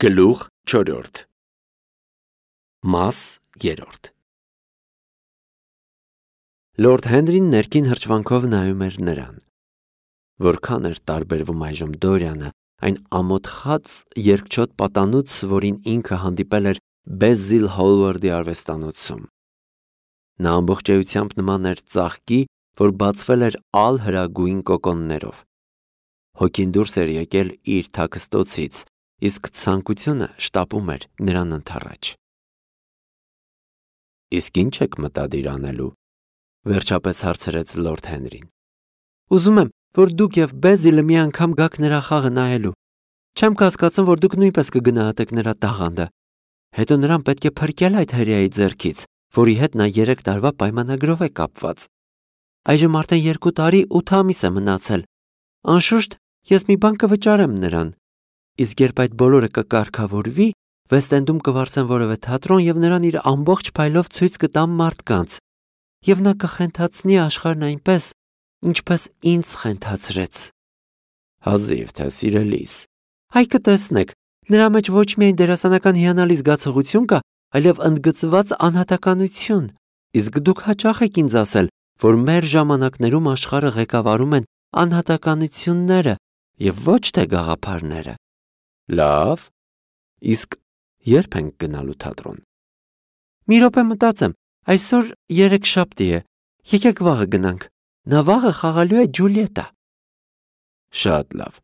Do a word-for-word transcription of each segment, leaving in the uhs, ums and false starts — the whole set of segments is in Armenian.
Գլուխ չորրորդ Մաս երրորդ Լորդ Հենրին ներքին հրճվանքով նայում էր նրան. Որքան էր տարբերվում այժմ Դորիանը այն ամոթխած երկչոտ պատանուց, որին ինքը հանդիպել էր Բեզիլ Հոլվարդի արվեստանոցում։ Նա ամբողջ էությամբ նման էր ծաղկի, որ բացվել էր ալ հրագույն կոկոններով։ Հոգին դուրս էր եկել իր թաքստոցից, իսկ ցանկությունը շտապում էր նրան ընդառաջ։ Իսկ ի՞նչ եք մտադիր անելու, վերջապես հարցրեց Լորդ Հենրին։ Ուզում եմ, որ դուք եւ Բեզիլը մի անգամ գաք նրա խաղը նայելու։ Չեմ կասկածում, որ դուք նույնպես կգնահատեք նրա տաղանդը։ Հետո նրան պետք է փրկել այդ հրեայի ձեռքից, որի հետ նա երեք տարվա պայմանագրով է կապված։ Այժմ արդեն երկու տարի ութ ամիս է մնացել։ Անշուշտ, ես մի բան կվճարեմ նրան։ Իսկ երբ այդ բոլորը կկարգավորվի, Վեստ-Էնդում կվարձեն որևէ թատրոն եւ նրան իր ամբողջ փայլով ցույց կտամ մարդկանց։ Եվ նա կխենթացնի աշխարհն այնպես, ինչպես ինձ խենթացրեց։ Հազիվ թե սիրելիս։ Այ կտեսնեք, նրա մեջ ոչ միայն դերասանական հիանալի զգացողություն կա, այլև ընդգծված անհատականություն։ Իսկ դուք հաճախ եք ինձ ասել, որ մեր ժամանակներում աշխարհը ղեկավարում են անհատականությունները եւ ոչ թե գաղափարները։ Լավ, իսկ երբ ենք գնալու թատրոն։ Մի րոպե մտածեմ, այսօր երեքշաբթի է, եկեք վաղը գնանք, նա վաղը խաղալու է Ջուլիետա։ Շատ լավ,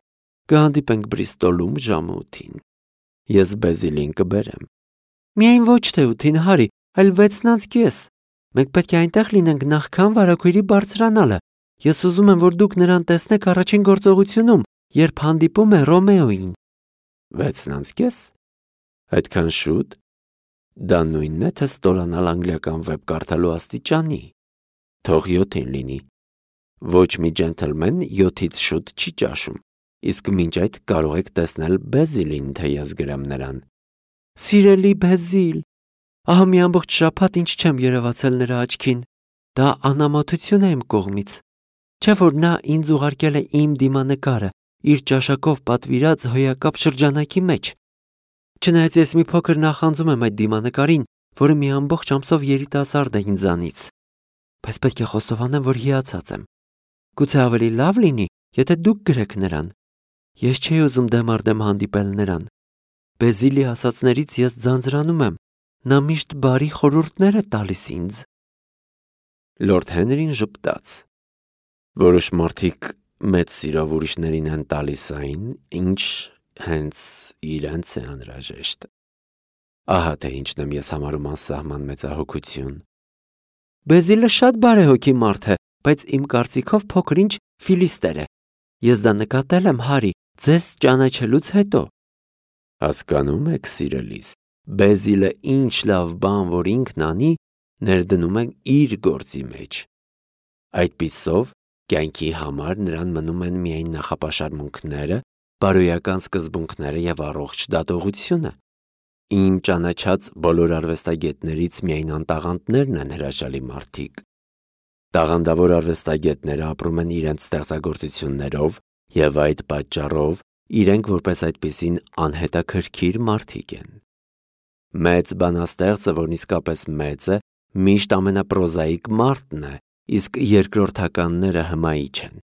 կհանդիպենք Բրիստոլում ժամը ութին, ես Բեզիլին կբերեմ։ Միայն ոչ թե ութին, Հարի, այլ վեցն անց կես, մենք պետք է այնտեղ լինենք նախքան վարագույրի բարձրանալը, ես ուզում եմ, որ դուք նրան տեսնեք առաջին գործողությունում, երբ հանդիպում է Ռոմեոին։ Վեցն անց կես։ Այդքան շուտ։ Դա նույնն է, թե ստորանալ անգլիական վեպ կարդալու աստիճանի։ Թող յոթին լինի։ Ոչ մի ջենթլմեն յոթից շուտ չի ճաշում, իսկ մինչ այդ կարող եք տեսնել Բեզիլին, թե ես գրեմ նրան։ Սիրելի Բեզիլ, ահա մի ամբողջ շաբաթ ինչ չեմ երևացել նրա աչքին։ Դա անամոթություն է իմ կողմից։ Չէ՞ որ նա ինձ ուղարկել է իմ դիմանկարը, իր ճաշակով պատվիրած հոյակապ շրջանակի մեջ։ Չնայած ես մի փոքր նախանձում եմ այդ դիմանկարին, որը մի ամբողջ ամսով երիտասարդ է ինձանից, բայց պետք է խոստովանեմ, որ հիացած եմ։ Գուցե ավելի լավ լինի, եթե դուք գրեք նրան։ Ես չէի ուզում դեմ առ դեմ հանդիպել նրան։ Բեզիլի ասածներից ես ձանձրանում եմ։ Նա միշտ բարի խորհուրդներ է տալիս ինձ։ Լորդ Հենրին ժպտաց։ Որոշ մարդիկ մեծ սիրով ուրիշներին են տալիս այն, ինչ հենց իրենց է անհրաժեշտ։ Ահա թե ինչն եմ ես համարում անսահման մեծահոգություն։ Բեզիլը շատ բարեհոգի մարդ է, բայց իմ կարծիքով փոքր-ինչ ֆիլիստեր է։ Ես դա նկատել եմ, Հարի, ձեզ ճանաչելուց հետո։ Հասկանում եք, սիրելիս, Բեզիլը ինչ լավ բան, որ ինքն անի, ներդնում է իր գործի մեջ։ Այդպիսով կյանքի համար նրան մնում են միայն նախապաշարմունքները, բարոյական սկզբունքները եւ առողջ դատողությունը։ Իմ ճանաչած բոլոր արվեստագետներից միայն անտաղանդներն են հրաշալի մարդիկ։ Տաղանդավոր արվեստագետները ապրում են իրենց ստեղծագործություններով եւ այդ պատճառով իրենք որպես այդպիսին անհետաքրքիր մարդիկ են։ Մեծ բանաստեղծը, որն իսկապես մեծ է, միշտ ամենապրոզաիկ մարդն է, իսկ երկրորդականները հմայիչ են։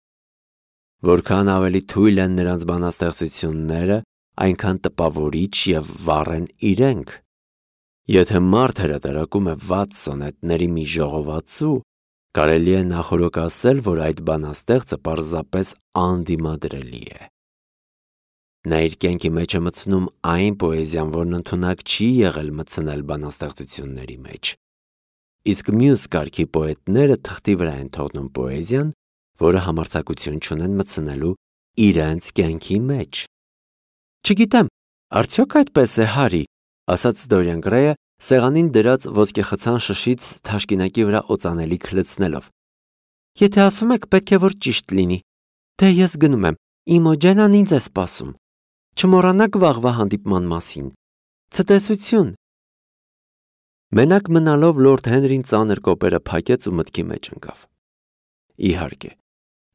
Որքան ավելի թույլ են նրանց բանաստեղծությունները, այնքան տպավորիչ եւ վառ են իրենք։ Եթե մարդ հրատարակում է վատ սոնետների մի ժողովածու, կարելի է նախօրոք ասել, որ այդ բանաստեղծը պարզապես անդիմադրելի է։ Նա իր կյանքի մեջ է մտցնում այն պոեզիան, որն ընդունակ չի եղել մտցնել բանաստեղծությունների մեջ։ Իսկ մյուս կարգի պոետները թղթի վրա են թողնում պոեզիան, որը համարձակություն չունեն մտցնելու իրենց կյանքի մեջ։ Չգիտեմ, արդյոք այդպես է, Հարի, ասաց Դորիան Գրեյը, սեղանին դրած ոսկեխցան շշից թաշկինակի վրա օծանելիք լցնելով։ Եթե ասում եք, պետք է որ ճիշտ լինի։ Դե ես գնում եմ, Իմոջենան ինձ է սպասում։ Չմոռանաք վաղվա հանդիպման մասին։ Ցտեսություն։ Մենակ մնալով Լորդ Հենրին ծանր կոպերը փակեց ու մտքի մեջ ընկավ։ Իհարկե,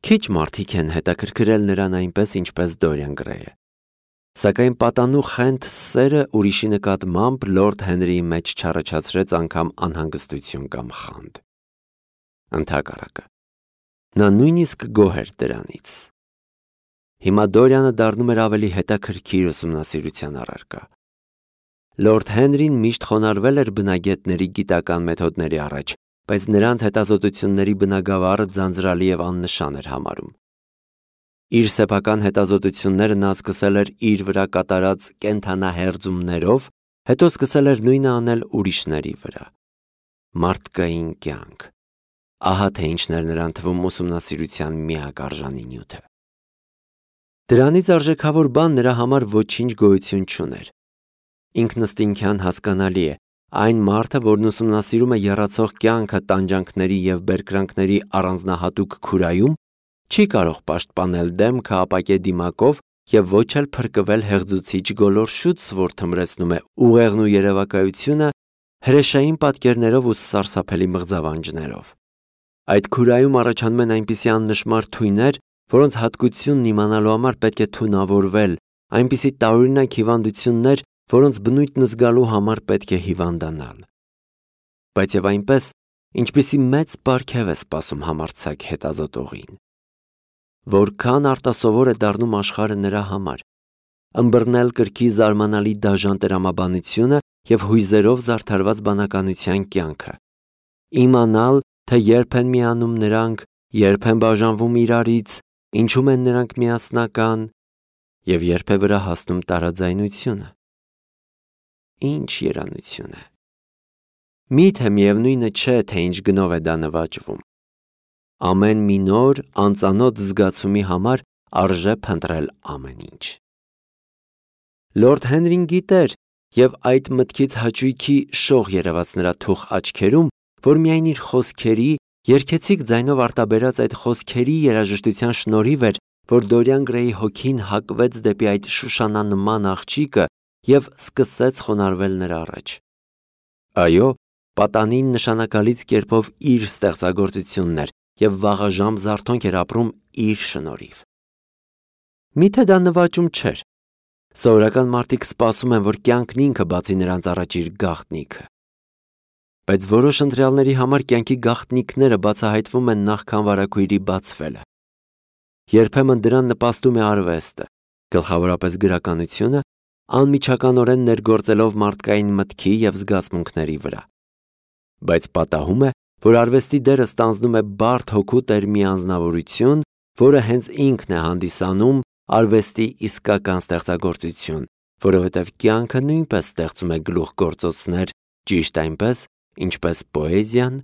քիչ մարդիկ են հետաքրքրել նրան այնպես, ինչպես Դորիան Գրեյը։ Սակայն պատանու խենթ սերը ուրիշի նկատմամբ Լորդ Հենրիի մեջ չառաջացրեց անգամ անհանգստություն կամ խանդ։ Ընդհակառակը, նա նույնիսկ գոհ էր դրանից։ Հիմա Դորիանը դառնում էր ավելի հետաքրքիր ուսումնասիրության առարկա։ Լորդ Հենրին միշտ խոնարհվել էր բնագետների գիտական մեթոդների առաջ, բայց նրանց հետազոտությունների բնագավառը ձանձրալի և աննշան էր համարում։ Իր սեփական հետազոտությունները նա սկսել էր իր վրա կատարած կենդանահերձումներով, հետո սկսել էր նույնը անել ուրիշների վրա։ Մարդկային կյանք։ Ահա թե ինչն էր նրան թվում ուսումնասիրության միակ արժանի նյութը։ Դրանից արժեքավոր բան նրա համար ոչինչ գոյություն չուներ։ Ինքնըստինքյան հասկանալի է, այն մարդը, որն ուսումնասիրում է եռացող կյանքը տանջանքների և բերկրանքների առանձնահատուկ քուրայում, չի կարող պաշտպանել դեմքը ապակե դիմակով և ոչ էլ փրկվել հեղձուցիչ գոլորշուց, որ թմրեցնում է ուղեղն ու երևակայությունը հրեշային պատկերներով ու սարսափելի մղձավանջներով։ Այդ քուրայում առաջանում են այնպիսի աննշմար թույներ, որոնց հատկությունն իմանալու համար պետք է թունավորվել, այնպիսի տարօրինակ հիվանդություններ, որոնց բնույթն զգալու համար պետք է հիվանդանալ։ Բայց և այնպես, ինչպիսի մեծ պարգև է սպասում համարձակ հետազոտողին։ Որքան արտասովոր է դառնում աշխարհը նրա համար, ըմբռնել կրքի զարմանալի դաժան տրամաբանությունը և հույզերով զարդարված բանականության կյանքը, իմանալ, թե երբ են միանում նրանք, երբ են բաժանվում իրարից, ինչում են նրանք միասնական և երբ է վրա հասնում տարաձայնությունը։ Ինչ երանություն է։ Միթե միևնույնը չէ, թե ինչ գնով է դա նվաճվում։ Ամեն մի նոր, անծանոթ զգացումի համար արժե փնտրել ամեն ինչ։ Լորդ Հենրին գիտեր, և այդ մտքից հաճույքի շող երևաց նրա թուխ աչքերում, որ միայն իր խոսքերի, երգեցիկ ձայնով արտաբերած այդ խոսքերի երաժշտության շնորհիվ էր, որ Դորիան Գրեյի հոգին հակվեց դեպի այդ Շուշանանման աղջիկը և սկսեց խոնարհվել նրա առաջ։ Այո, պատանին նշանակալից կերպով իր ստեղծագործությունն էր և վաղաժամ զարթոնք էր ապրում իր շնորհիվ։ Միթե դա նվաճում չէր։ Սովորական մարդիկ սպասում են, որ կյանքն ինքը բացի նրանց առաջ իր գաղտնիքը։ Բայց որոշ ընտրյալների համար կյանքի գաղտնիքները բացահայտվում են նախքան վարագույրի բացվելը։ Երբեմն դրան նպաստում է արվեստը, գլխավորապես գրականությունը, անմիջականորեն ներգործելով մարդկային մտքի և զգացմունքների վրա։ Բայց պատահում է, որ արվեստի դերը ստանձնում է բարդ հոգու տեր մի անձնավորություն, որը հենց ինքն է հանդիսանում արվեստի իսկական ստեղծագործություն, որովհետև կյանքը նույնպես ստեղծում է գլուխգործոցներ, ճիշտ այնպես, ինչպես պոեզիան,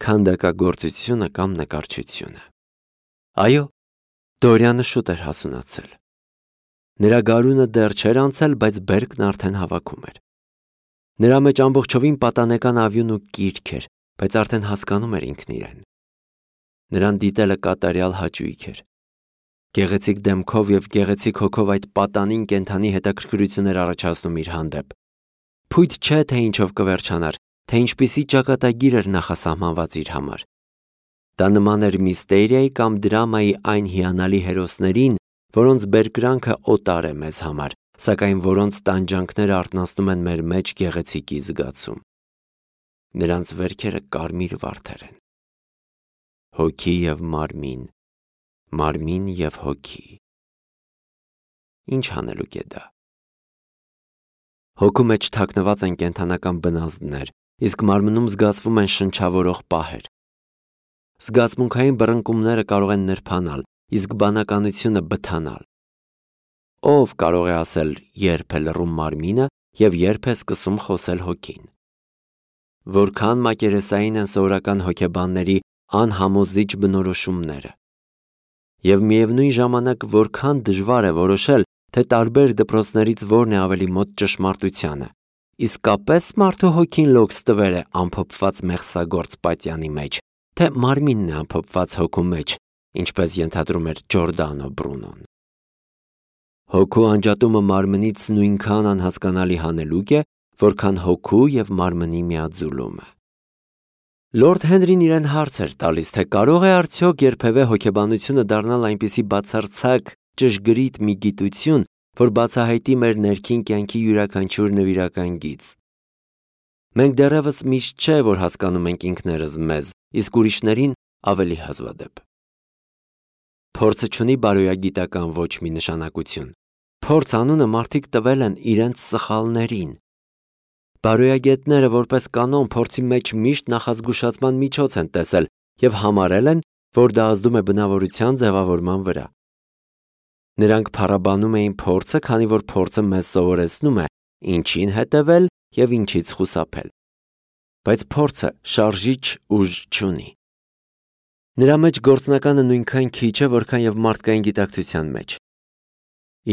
քանդակագործությունը կամ նկարչությունը։ Այո, Դորիանը շուտ էր հասունացել։ Նրա գարունը դեռ չէր անցել, բայց բերքն արդեն հավաքում էր։ Նրա մեջ ամբողջովին պատանեկան ավյուն ու կիրք էր, բայց արդեն հասկանում էր ինքն իրեն։ Նրան դիտելը կատարյալ հաճույք էր։ Գեղեցիկ դեմքով և գեղեցիկ հոգով այդ պատանին կենդանի հետաքրքրություն էր առաջացնում իր հանդեպ։ Փույթ չէ, թե ինչով կվերջանար, թե ինչպիսի ճակատագիր էր նախասահմանված իր համար։ Դա նման էր միստերիայի կամ դրամայի այն հիանալի հերոսներին, որոնց բերկրանքը օտար է մեզ համար, սակայն որոնց տանջանքները արթնացնում են մեր մեջ գեղեցիկի զգացում։ Նրանց վերքերը կարմիր վարդեր են։ Հոգի և մարմին, մարմին և հոգի։ Ինչ հանելուկ է դա։ Հոգու մեջ թաքնված են կենդանական բնազդներ, իսկ մարմնում զգացվում են շնչավորող պահեր։ Զգացմունքային բռնկումները կարող են նրբանալ, իսկ բանականությունը բթանալ։ Ո՞վ կարող է ասել, երբ է լռում մարմինը և երբ է սկսում խոսել հոգին։ Որքան մակերեսային են սովորական հոգեբանների անհամոզիչ բնորոշումները։ Եվ միևնույն ժամանակ որքան դժվար է որոշել, թե տարբեր դպրոցներից որն է ավելի մոտ ճշմարտությանը։ Իսկապես մարդու հոգին լոքս տվեր է ամփոփված մեղսագործ պատյանի մեջ, թե մարմինն է ամփոփված հոգու մեջ, ինչպես ենթադրում էր Ջորդանո Բրունոն։ Հոգու անջատումը մարմնից նույնքան անհասկանալի հանելուկ է, որքան հոգու և մարմնի միաձուլումը։ Լորդ Հենրին իրեն հարց էր տալիս, թե կարող է արդյոք երբևէ հոգեբանությունը դառնալ այնպիսի բացարձակ ճշգրիտ մի գիտություն, որ բացահայտի մեր ներքին կյանքի յուրաքանչյուր նվիրական գիծ։ Մենք դեռևս միշտ չէ, որ հասկանում ենք ինքներս մեզ, իսկ ուրիշներին ավելի հազվադեպ։ Փորձը չունի բարոյագիտական ոչ մի նշանակություն։ Փորձ անունը մարդիկ տվել են իրենց սխալներին։ Բարոյագետները որպես կանոն փորձի մեջ միշտ նախազգուշացման միջոց են տեսել և համարել են, որ դա ազդում է բնավորության ձևավորման վրա։ Նրանք փառաբանում էին փորձը, քանի որ փորձը մեզ սովորեցնում է ինչին հետևել և ինչից խուսափել։ Բայց փորձը շարժիչ ուժ չունի։ Նրա մեջ գործնականը նույնքան քիչ է, որքան և մարդկային գիտակցության մեջ։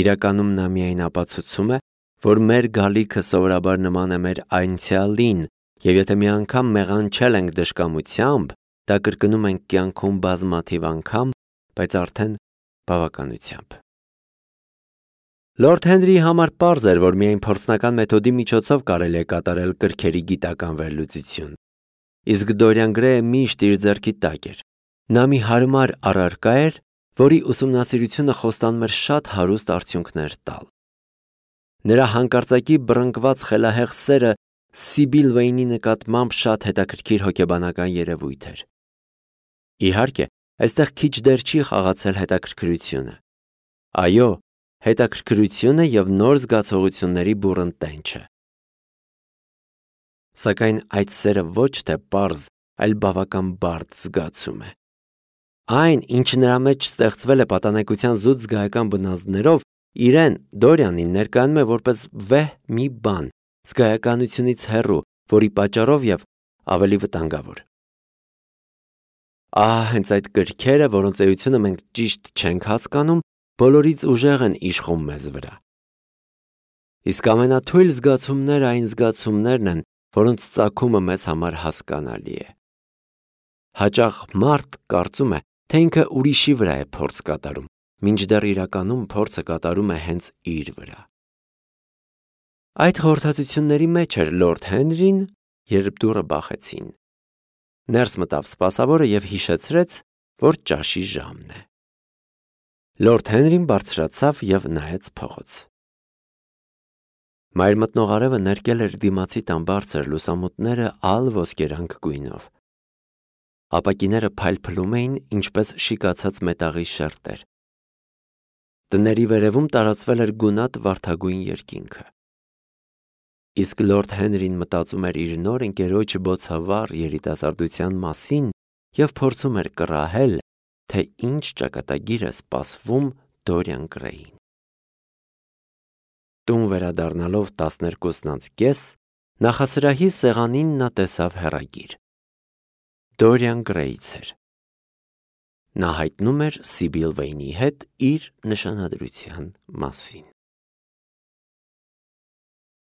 Իրականում նա միայն ապացուցում է, որ մեր գալիքը սովորաբար նման է մեր անցյալին, և եթե մի անգամ մեղանչել ենք դժկամությամբ, դա կրկնում ենք կյանքում բազմաթիվ անգամ, բայց արդեն բավականությամբ։ Լորդ Հենրիի համար պարզ էր, որ միայն փորձնական մեթոդի միջոցով կարելի է կատարել կրքերի գիտական վերլուծություն։ Իսկ Դորիան Գրեյը միշտ իր ձեռքի տակ էր։ Նա մի հարմար առարկա էր, որի ուսումնասիրությունը խոստանում էր շատ հարուստ արդյունքներ տալ։ Նրա հանկարծակի բռնկված խելահեղ սերը Սիբիլ Վեյնի նկատմամբ շատ հետաքրքիր հոգեբանական երևույթ էր։ Իհարկե, այստեղ քիչ դեր չի խաղացել հետաքրքրությունը։ Այո, հետաքրքրությունը և նոր զգացողությունների բուռն տենչը։ Սակայն այդ սերը ոչ թե պարզ, այլ բավական բարդ զգացում է։ Այն, ինչը նրա մեջ ստեղծվել է պատանեկության զուտ զգայական բնազդներով, իրեն Դորիանին ներկայանում է որպես վեհ մի բան, զգայականությունից հեռու, որի պատճառով և ավելի վտանգավոր։ Ահա հենց այդ կրքերը, որոնց էությունը մենք ճիշտ չենք հասկանում, բոլորից ուժեղ են իշխում մեզ վրա։ Իսկ ամենաթույլ զգացումները այն զգացումներն են, որոնց ծագումը մեզ համար հասկանալի է։ Հաճախ մարդ կարծում է, թե ինքը ուրիշի վրա է փորձ կատարում, մինչդեռ իրականում փորձը կատարում է հենց իր վրա։ Այդ խորհրդածությունների մեջ էր Լորդ Հենրին, երբ դուռը բախեցին։ Ներս մտավ սպասավորը և հիշեցրեց, որ ճաշի ժամն է։ Լորդ Հենրին բարձրացավ և նայեց փողոց։ Մայր մտնող արևը ներկել էր դիմացի տան բարձր լուսամուտները ալ ոսկերանք գույնով։ Ապակիները փայլփլում էին, ինչպես շիկացած մետաղի շերտեր։ Տների վերևում տարածվել էր գունատ վարդագույն երկինքը։ Իսկ Լորդ Հենրին մտածում էր իր նոր ընկերոջ բոցավառ երիտասարդության մասին և փորձում էր կռահել, թե ինչ ճակատագիր է սպասվում Դորիան Գրեյին։ Տուն վերադառնալով տասներկուսն անց կես, նախասրահի սեղանին նա տեսավ հեռագիր։ Դորիան Գրեյից էր։ Նա հայտնում էր Սիբիլ Վեյնի հետ իր նշանադրության մասին։